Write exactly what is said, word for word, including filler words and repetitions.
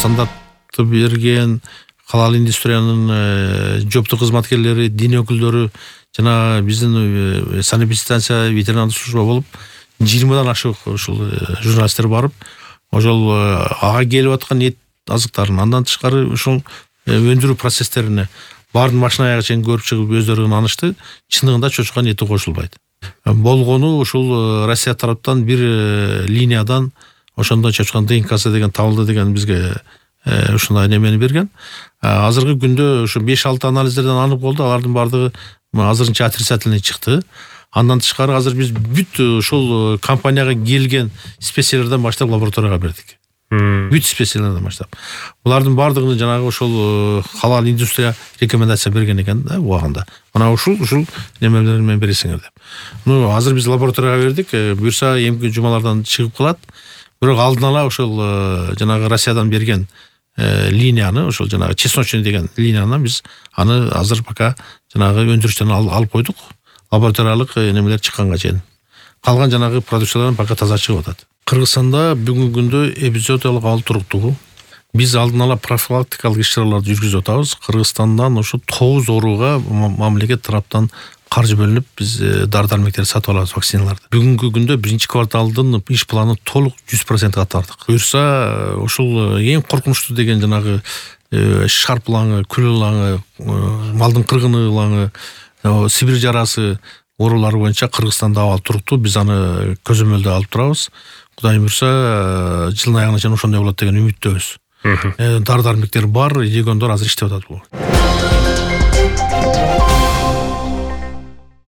стандартты берген халал индустриянын жооптуу кызматкерлери, дин өкүлдөрү, жана биздин санэпидстанция, ветеринардык служба болуп жыйырмадан ашык ушул журналисттер барып, ошол ага келип аткан эт азыктарын, андан тышкары ушул өндүрүү процесстерине баарын машина аягы чейин көрүп чыгып өздөрү ынанышты. Чындыгында чочканын эти кошулбайт. Болгону ушул Россия тараптан бир линиядан ошондо чочканын ДНКсы деген табылды деген бизге ушундай немени берген. Азыркы күндө ушу беш алты анализдерден анык болду. Алардын баардыгы азырынча отрицательный чыкты. Андан тышкары азыр биз бүт ушул компанияга келген специялардан баштап лабораторияга бердик. Бүт специялардан баштап. Булардын баардыгын жанагы ошол халал индустрия рекомендация берген экен да убагында. Мына ушул ушул немелерди мен бересиңер деп. Ну азыр биз лабораторияга бердик. Буюрса эмки жумалардан чыгып калат. Бирок алдын ала ошол жанагы Россиядан берген линияны, ошол жанагы чесночный деген линияны биз аны азыр пока жанагы өндүрүштөн алып койдук. Лабораториялык немелер чыкканга чейин. Калган жанагы продукциялар пока таза чыгып атат. Кыргызстанда бүгүнкү күндө эпизоотиялык абал туруктугу. Биз алдын ала профилактикалык иш-чараларды жүргүзүп атабыз. Кыргызстандан ошо тогуз ооруга мамлекет тараптан каржы бөлүнүп, биз дары-дармектерди сатып алабыз, вакциналарды. Бүгүнкү күндө биринчи кварталдын иш планы толук жүз процентке аттардык. Буюрса, ошол эң коркунучтуу деген жанагы шарп ылаңы, күл ылаңы, малдын кыргыны ылаңы, Сибирь жарасы оорулары боюнча Кыргызстанда абал туруктуу. Биз аны көзөмөлдө алып турабыз. Кудайым буюрса, жылдын аягына чейин ошондой болот деген үмүттөбүз. Дары-дармектер бар, региондор азыр иштеп атат бул.